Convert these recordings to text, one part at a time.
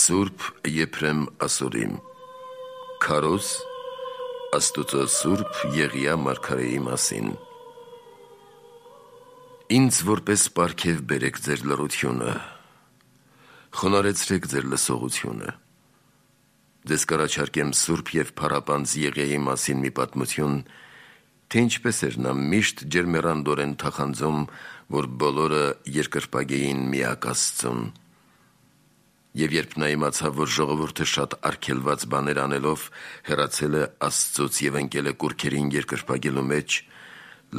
Սուրբ Եփրեմ ասորիմ Քարոզ Աստուծո Սուրբ Եղիա մարգարեի մասին Ինձ որպես պարգև բերեք ձեր լռությունը, խոնարհեցրեք ձեր լսողությունը, ձեզ կառաջարկեմ Սուրբ և փառապանծ Եղիայի մասին մի պատմություն, թե ինչպես էր նա միշտ ջերմեռանդորեն թախանձում, որ բոլորը երկրպագեին միակ Աստծուն։ Եվ երբ նա իմացավ, որ ժողովուրդը շատ արգելված բաներ անելով հեռացել է Աստծուց և ընկել է կուռքերին երկրպագելու մեջ,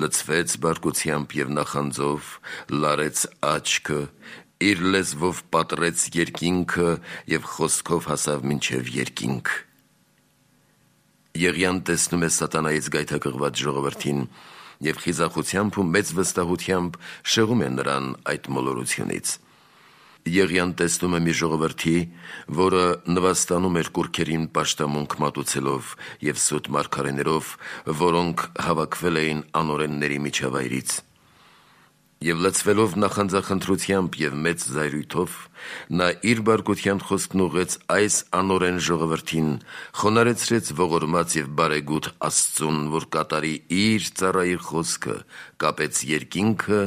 լցվեց բարկությամբ և նախանձով, լարեց աչքը, իր լեզվով պատռեց երկինքը և խոսքով հասավ մինչև երկինք։ Եղիան տեսնում է սատանայից գայթակղված ժողովրդին և խիզախությամբ ու մեծ վստահությամբ շեղում է նրան այդ մոլորությունից։ Եղիան տեսնում է մի ժողովրդի, որը նվաստանում էր կուռքերին պաշտամունք մատուցելով և սուտ մարգարեներով, որոնք հավաքվել էին անօրենների միջավայրից։ Եվ լցվելով նախանձախնդրությամբ և մեծ զայրույթով, նա իր բարկության խոսքն ուղղեց այս անօրեն ժողովրդին, խոնարհեցրեց ողորմած և բարեգութ Աստծուն, որ կատարի իր ծառայի խոսքը, կապեց երկինքը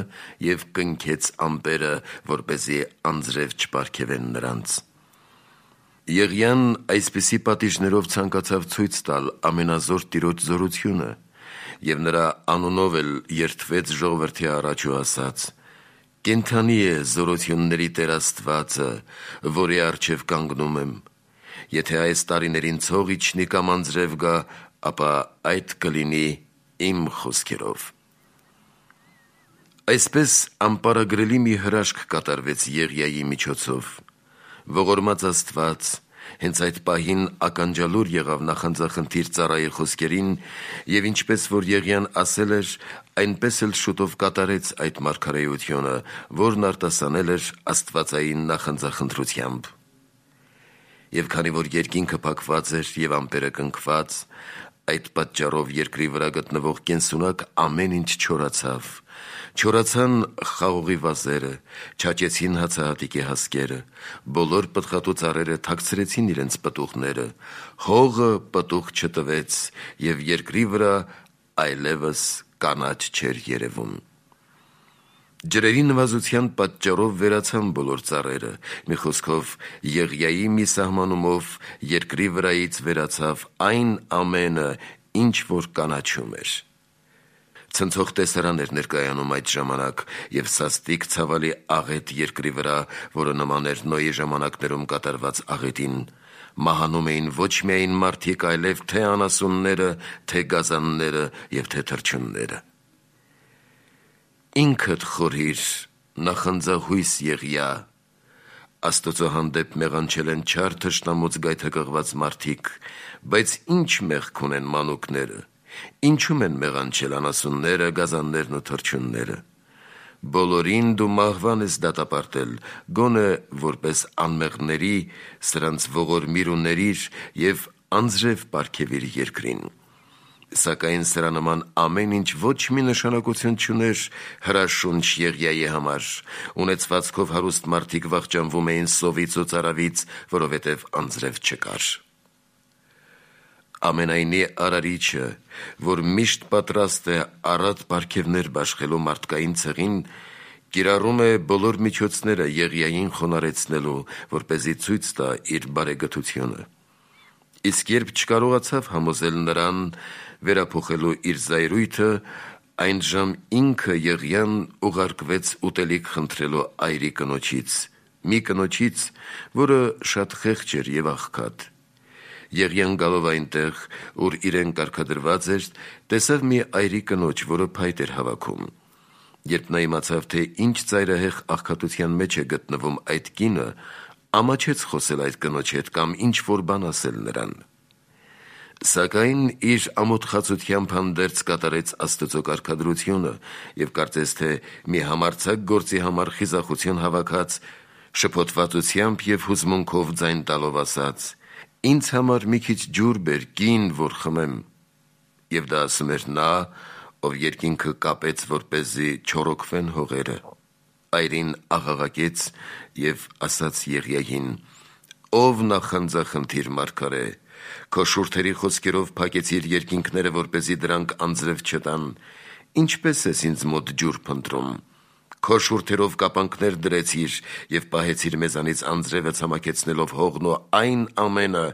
և կնքեց ամպերը, որպեսզի անձրև չպարգևեն նրանց։ Եղիան այսպիսի պատիժներով ցանկացավ ցույց տալ ամենազոր Տիրոջ զորությունը, և նրա անունով էլ երդվեց ժողովրդի առաջ ու ասաց. «Կենդանի է զորությունների Տեր Աստվածը, որի առջև կանգնում եմ, եթե այս տարիներին ցող իջնի կամ անձրև գա, ապա այդ կլինի իմ խոսքերով»։ Այսպես անպարագրելի մի հրաշք կատարվեց Եղիայի միջոցով։ Ողորմած Աստված հենց այդ պահին ականջալուր եղավ նախանձախնդիր ծառայի խոսքերին և ինչպես որ Եղիան ասել էր, այնպես էլ շուտով կատարեց այդ մարգարեությունը, որն արտասանել էր աստվածային նախանձախնդրությամբ։ Եվ քանի որ երկինքը փակված էր և ամպերը կնքված, այդ պատճառով երկրի վրա գտնվող կենսունակ ամեն ինչ չորացավ։ Չորացան խաղողի վազերը, չաճեցին հացահատիկի հասկերը, բոլոր պտղատու ծառերը թաքցրեցին իրենց պտուղները, հողը պտուղ չտվեց և երկրի վրա այլևս կանաչ չէր երևում։ Ջրերի նվազության պատճառով վերացան բոլոր ծառերը, մի խոսքով Եղիայի մի սահմանումով երկրի վրայից վերացավ այն ամենը, ինչ որ կանաչում էր։ Ցնցող տեսարան էր ներկայանում այդ ժամանակ և սաստիկ ցավալի աղետ երկրի վրա, որը նման էր Նոյի ժամանակներում կատարված աղետին։ Մահանում էին ոչ միայն մարդիկ, այլև թե անասունները, թե գազանները և թե թռչունները։ Ինքդ խորհիր, նախանձահույս Եղիա, Աստծո հանդեպ մեղանչել են չար թշնամուց գայթակղված մարդիկ, բայց ինչ մեղք ունեն մանուկները, ինչու՞մ են մեղանչել անասունները, գազաններն ու թռչունները։ Բոլորին դու մահվան ես դատապարտել, գոնե որպես անմեղների սրանց ողորմիր ու ներիր և անձրև պարգևիր երկրին։ Սակայն սրա նման ամեն ինչ ոչ մի նշանակություն չուներ հրաշունչ Եղիայի համար, ունեցվածքով հարուստ մարդիկ վախճանվում էին սովից ու ծարավից, որովհետև անձրև չկար։ Ամենայնի Արարիչը, որ միշտ պատրաստ է առատ պարգևներ բաշխելու մարդկային ցեղին, կիրառում է բոլոր միջոցները Եղիային խոնարհեցնելու, որպեսզի ցույց տա իր բարեգթությունը։ Իսկ երբ չկարողացավ համոզել նրան վերափոխելու իր զայրույթը, այնժամ ինքը Եղիան ուղարկվեց ուտելիք խնդրելու այրի կնոջից, մի կնոջից, որը շատ խեղճ էր և աղքատ։ Եղիան գալով այնտեղ, ուր իրեն կարգադրված էր, տեսավ մի այրի կնոջ, որը փայտ էր հավաքում։ Երբ նա իմացավ, թե ինչ ծայրահեղ աղքատության մեջ է գտնվում այդ կինը, ամաչեց խոսել այդ կնոջ հետ կամ ինչ-որ բան ասել նրան։ Սակայն իր ամոթխածությամբ հանդերձ կատարեց Աստծո կարգադրությունը և կարծես թե մի համարձակ գործի համար խիզախություն հավաքած, շփոթվածությամբ և հուզմունքով ձայն տալով ասաց. «Ինձ համար մի քիչ ջուր բեր, կին, որ խմեմ»։ Եվ դա ասում էր նա, ով երկինքը կապեց, որպեսզի չոռոգվեն հողերը։ Այրին աղաղակեց և ասաց Եղիային. ով նախանձախնդիր մարգարե, քո շուրթերի խոսքերով փակեցիր երկինքները, որպեսզի դրանք անձրև չտան, ինչպես ես ինձ մոտ ջուր փնտրում, քո շուրթերով կապանքներ դրեցիր և պահեցիր մեզանից անձրևը ցամաքեցնելով հողն ու այն ամենը,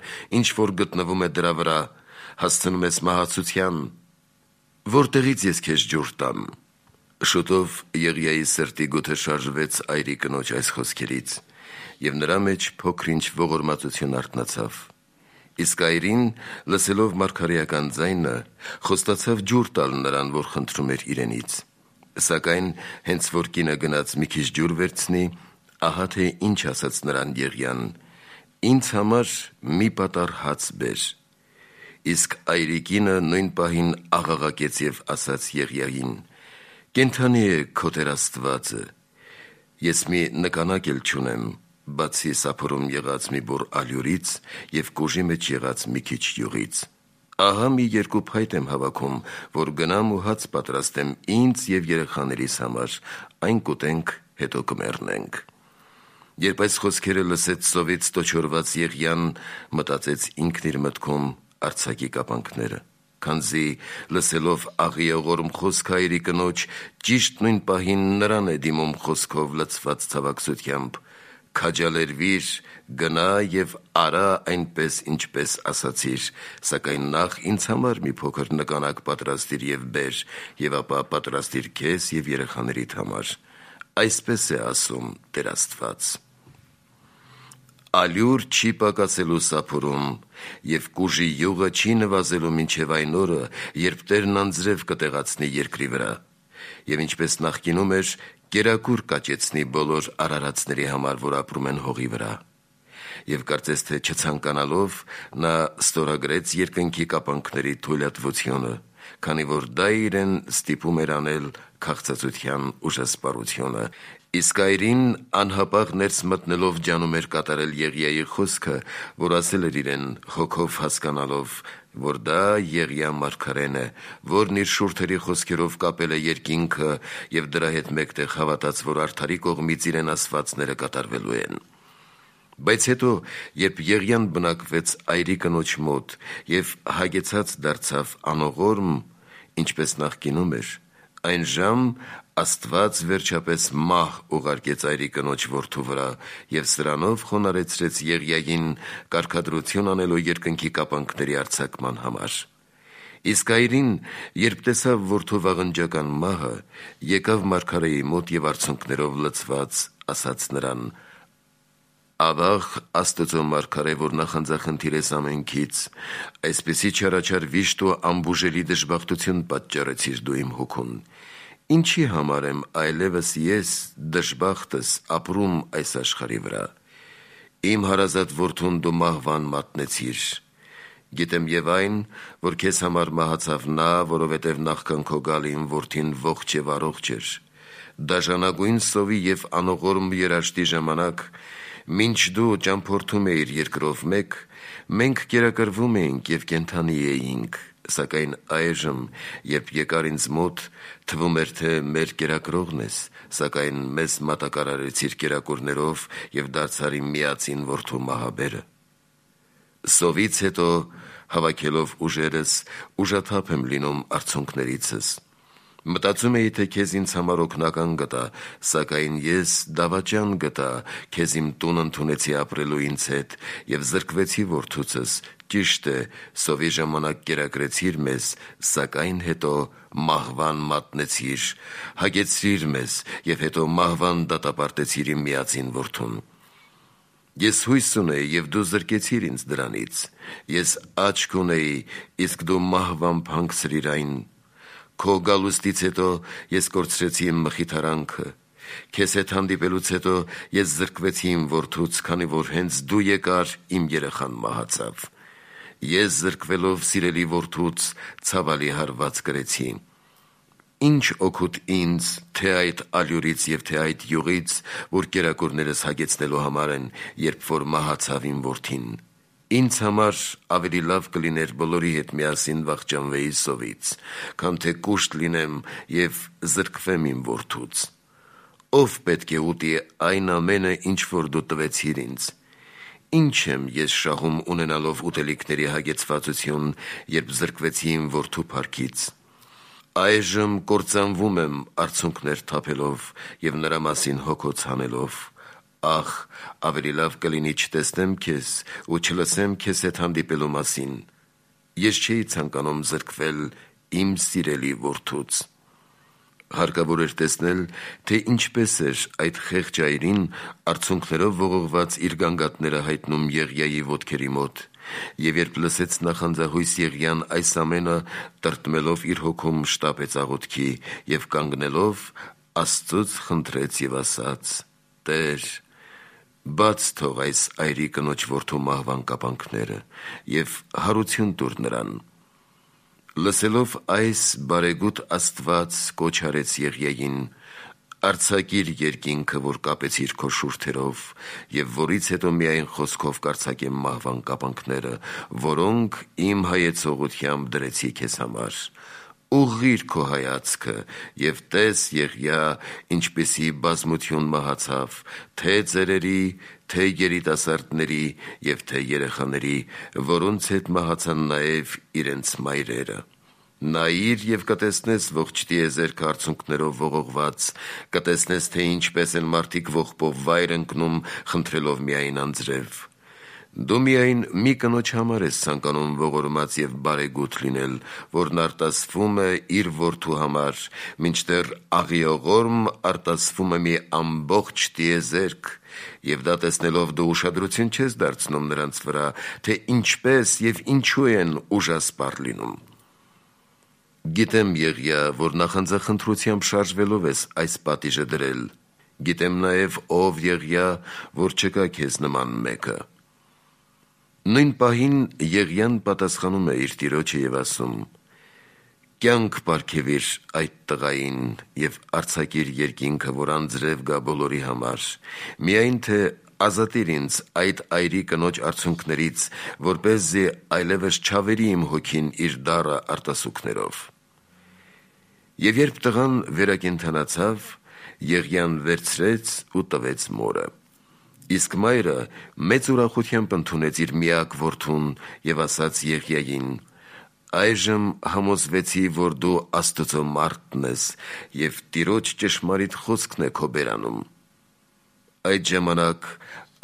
ինչ որ գտնվում է դրա վրա, հասցնում ես մահացության, որտեղից ես քեզ ջուր տամ։ Շուտով Եղիայի սրտի գութը շարժվեց այրի կնոջ այս խոսքերից, և նրա մեջ փոքր-ինչ ողորմածություն արթնացավ։ Իսկ այրին, լսելով մարգարեական ձայնը, խոստացավ ջուր տալ նրան, որ խնդրում էր իրենից։ Սակայն հենց որ կինը գնաց մի քիչ ջուր վերցնի, ահա թե ինչ ասաց նրան Եղիան. «Ինձ համար մի պատառ հաց բեր»։ Իսկ այրի կինը նույն պահին աղաղակեց և ասաց Եղիային. «Կենդանի է քո Տեր Աստվածը, ես մի նկանակ էլ չունեմ, բացի սափորում եղած մի բուռ ալյուրից և կուժի մեջ եղած մի քիչ յուղից։ Ահա մի երկու փայտ եմ հավաքում, որ գնամ ու հաց պատրաստեմ ինձ և երեխաներիս համար, այն կուտենք, հետո կմեռնենք»։ Երբ այս խոսքերը լսեց սովից տոչորված Եղիան, մտածեց ինքն իր մտքում արձակի կապանքները, քանզի լսելով աղիողորմ խոսքը այրի կնոջ, ճիշտ նույն պահին նրան է դիմում խոսքով լցված ցավակցությամբ. «Քաջալերվիր, գնա և արա այնպես, ինչպես ասացիր, սակայն նախ ինձ համար մի փոքր նկանակ պատրաստիր և բեր, և ապա պատրաստիր քեզ և երեխաներիդ համար. այսպես է ասում Տեր Աստված. ալյուր չի պակասելու սափորում, և կուժի յուղը չի նվազելու մինչև այն օրը, երբ Տերն անձրև կտեղացնի երկրի վրա, և ինչպես նախկինում էր, կերակուր կաճեցնի բոլոր արարածների համար, որ ապրում են հողի վրա։ Եվ կարծես թե չցանկանալով, նա ստորագրեց երկնքի կապանքների թույլատվությունը, քանի որ դա իրեն ստիպում էր անել քաղցածության ուժասպառությունը։ Իսկ այրին անհապաղ ներս մտնելով ջանում էր կատարել Եղիայի խոսքը, որ ասել էր իրեն հոգով հասկանալով, որ դա Եղիա մարգարեն է, որն իր շուրթերի խոսքերով կապել է երկինքը և դրա հետ մեկտեղ հավատաց, որ արդարի կողմից իրեն ասվածները կատարվելու են։ Բայց հետո, երբ Եղիան բնակվեց այրի կնոջ մոտ և հագեցած դարձավ անողորմ, ինչպես նախկինում էր, այն ժամ Աստված վերջապես մահ ուղարկեց այրի կնոջ որդու վրա և սրանով խոնարհեցրեց Եղիային կարգադրություն անելու երկնքի կապանքների արձակման համար։ Իսկ այրին, երբ տեսավ որդու վաղնջական մահը, եկավ մարգարեի մոտ և արցունքներով լցված ասաց նրան. «Ավաղ Աստծո մարգարե, որ նախանձախնդիր ես ամենքից, այսպիսի չարաչար վիշտ ու անբուժելի դժբախտություն պատճառեցիր դու իմ հոգուն։ Ինչի համար եմ այլևս ես դժբախտս ապրում այս աշխարհի վրա։ Իմ հարազատ որդուն դու մահվան մատնեցիր։ Գիտեմ և այն, որ քեզ համար մահացավ նա, որովհետև նախքան քո գալին որդին ողջ և առողջ էր։ Դաժանագույն սովի և անողորմ երաշտի ժամանակ, մինչ դու ճամփորդում էիր երկրով մեկ, մենք կերակրվում էինք և կենդանի էինք, սակայն այժմ, երբ եկար ինձ մոտ, թվում էր, թե մեր կերակրողն ես, սակայն մեզ մատակարարեցիր կերակուրներով և դարձար իմ միածին որդու մահաբերը։ Սովից հետո, հավաքելով ուժերս, ուժաթափ եմ լինում արցունքներիցս։ Մտածում էի, թե քեզ ինձ համար օգնական գտա, սակայն ես դավաճան գտա, քեզ իմ տուն ընդունեցի ապրելու ինձ հետ և զրկվեցի որդուցս, ճիշտ է, սովի ժամանակ կերակրեցիր մեզ, սակայն հետո մահվան մատնեցիր, հագեցրիր մեզ և հետո մահվան դատապարտեցիր իմ միածին որդուն։ Ես հույս ունեի, և դու զրկեցիր ինձ դրանից, ես աչք ունեի, իսկ դու մահվամբ հանգցրիր այն։ Քո գալուստից հետո ես կորցրեցի իմ մխիթարանքը, քեզ հետ հանդիպելուց հետո ես զրկվեցի իմ որդուց, քանի որ հենց դու եկար, իմ երեխան մահացավ։ Ես զրկվելով սիրելի որդուց ցավալի հարված կրեցի։ Ինչ օգուտ ինձ, թե այդ ալյուրից և թե այդ յուղից, որ կերակուրներս հագեցնելու համար են, երբ որ մահացավ իմ որդին։ Ինձ համար ավելի լավ կլիներ բոլորի հետ միասին վախճանվեի սովից, քան թե կուշտ լինեմ և զրկվեմ իմ որդուց։ Ով պետք է ուտի այն ամենը, ինչ որ դու տվեցիր ինձ։ ինչ եմ ես շահում ունենալով ուտելիքների հագեցվածություն, երբ զրկվեցի իմ որդու փառքից։ Այժմ կործանվում եմ արցունքներ թափելով և նրա մասին հոգոց հանելով։ Ախ, ավելի լավ կլինի չտեսնեմ քեզ ու չլսեմ քեզ հետ հանդիպելու մասին։ Ես չէի ցանկանում զրկվել իմ սիրելի որդուց։ Հարկավոր էր տեսնել, թե ինչպես էր այդ խեղճ այրին արցունքներով ողողված իր գանգատները հայտնում Եղիայի ոտքերի մոտ, և երբ լսեց նախանձահույս Եղիան այս ամենը, տրտմելով իր հոգում շտապեց աղոթքի և կանգնելով Աստծուց խնդրեց և ասաց. «Տեր, բաց թող այս այրի կնոջ որդու մահվան կապանքները և հարություն տուր նրան»։ Լսելով այս, բարեգութ Աստված կոչ արեց Եղիային. «Արձակիր երկինքը, որ կապեցիր քո շուրթերով, և որից հետո միայն խոսքով կարձակեմ մահվան կապանքները, որոնք իմ հայեցողությամբ դրեցի քեզ համար։ Ուղղի՛ր քո հայացքը և տես Եղիա, ինչպիսի բազմություն մահացավ, թե ծերերի, թե երիտասարդների և թե երեխաների, որոնց հետ մահացան նաև իրենց մայրերը։ Նայիր և կտեսնես ողջ տիեզերքը արցունքներով ողողված, կտեսնես, թե ինչպես են մարդիկ ողբով վայր ընկնում, խնդրելով միայն անձրև։ Դու միայն մի կնոջ համար ես ցանկանում ողորմած և բարեգութ լինել, որն արտասվում է իր որդու համար, մինչդեռ աղիողորմ արտասվում է մի ամբողջ տիեզերք, և դա տեսնելով դու ուշադրություն չես դարձնում նրանց վրա, թե ինչպես և ինչու են ուժասպառ լինում։ Գիտեմ, Եղիա, որ նախանձախնդրությամբ շարժվելով ես այս պատիժը դրել։ Գիտեմ նաև, ով Եղիա, որ չկա քեզ նման մեկը»։ Նույն պահին Եղիան պատասխանում է իր տիրոջը և ասում. «Կյանք պարգևիր այդ տղային և արձակիր երկինքը, որ անձրև գա բոլորի համար, միայն թե ազատիր ինձ այդ այրի կնոջ արցունքներից, որպեսզի այլևս չավերի իմ հոգին իր դառը արտասուքներով»։ Եվ երբ տղան վերակենդանացավ, Եղիան վերցրեց ու տվեց մորը։ Իսկ մայրը մեծ ուրախությամբ ընդունեց իր միակ որդուն և ասաց Եղիային. «Այժմ համոզվեցի, որ դու Աստծո մարդն ես և Տիրոջ ճշմարիտ խոսքն է քո բերանում»։ Այդ ժամանակ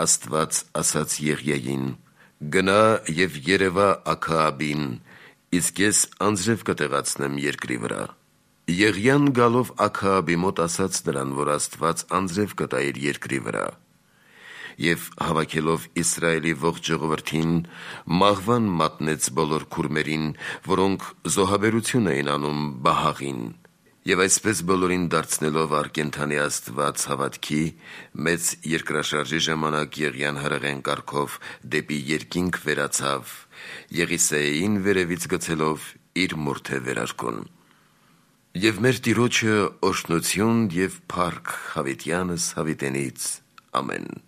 Աստված ասաց Եղիային. «Գնա և երևա Աքաաբին, իսկ ես անձրև կտեղացնեմ երկրի վրա»։ Եղիան գալով Աքաաբի մոտ ասաց նրան, որ Աստված անձրև կտա իր երկրի վրա։ Եվ հավաքելով Իսրայելի ողջ ժողովրդին, մահվան մատնեց բոլոր քուրմերին, որոնք զոհաբերություն էին անում Բահաղին։ Եվ այսպես բոլորին դարձնելով առկենդանի Աստված հավատքի, մեծ երկրաշարժի ժամանակ Եղիան հրեղեն կարգով դեպի երկինք վերացավ, Եղիսեին վերևից գցելով իր մորթե վերարկուն։ Եվ մեր Տիրոջը օրհնություն և փառք հավիտյանս հավիտենից։ Ամեն։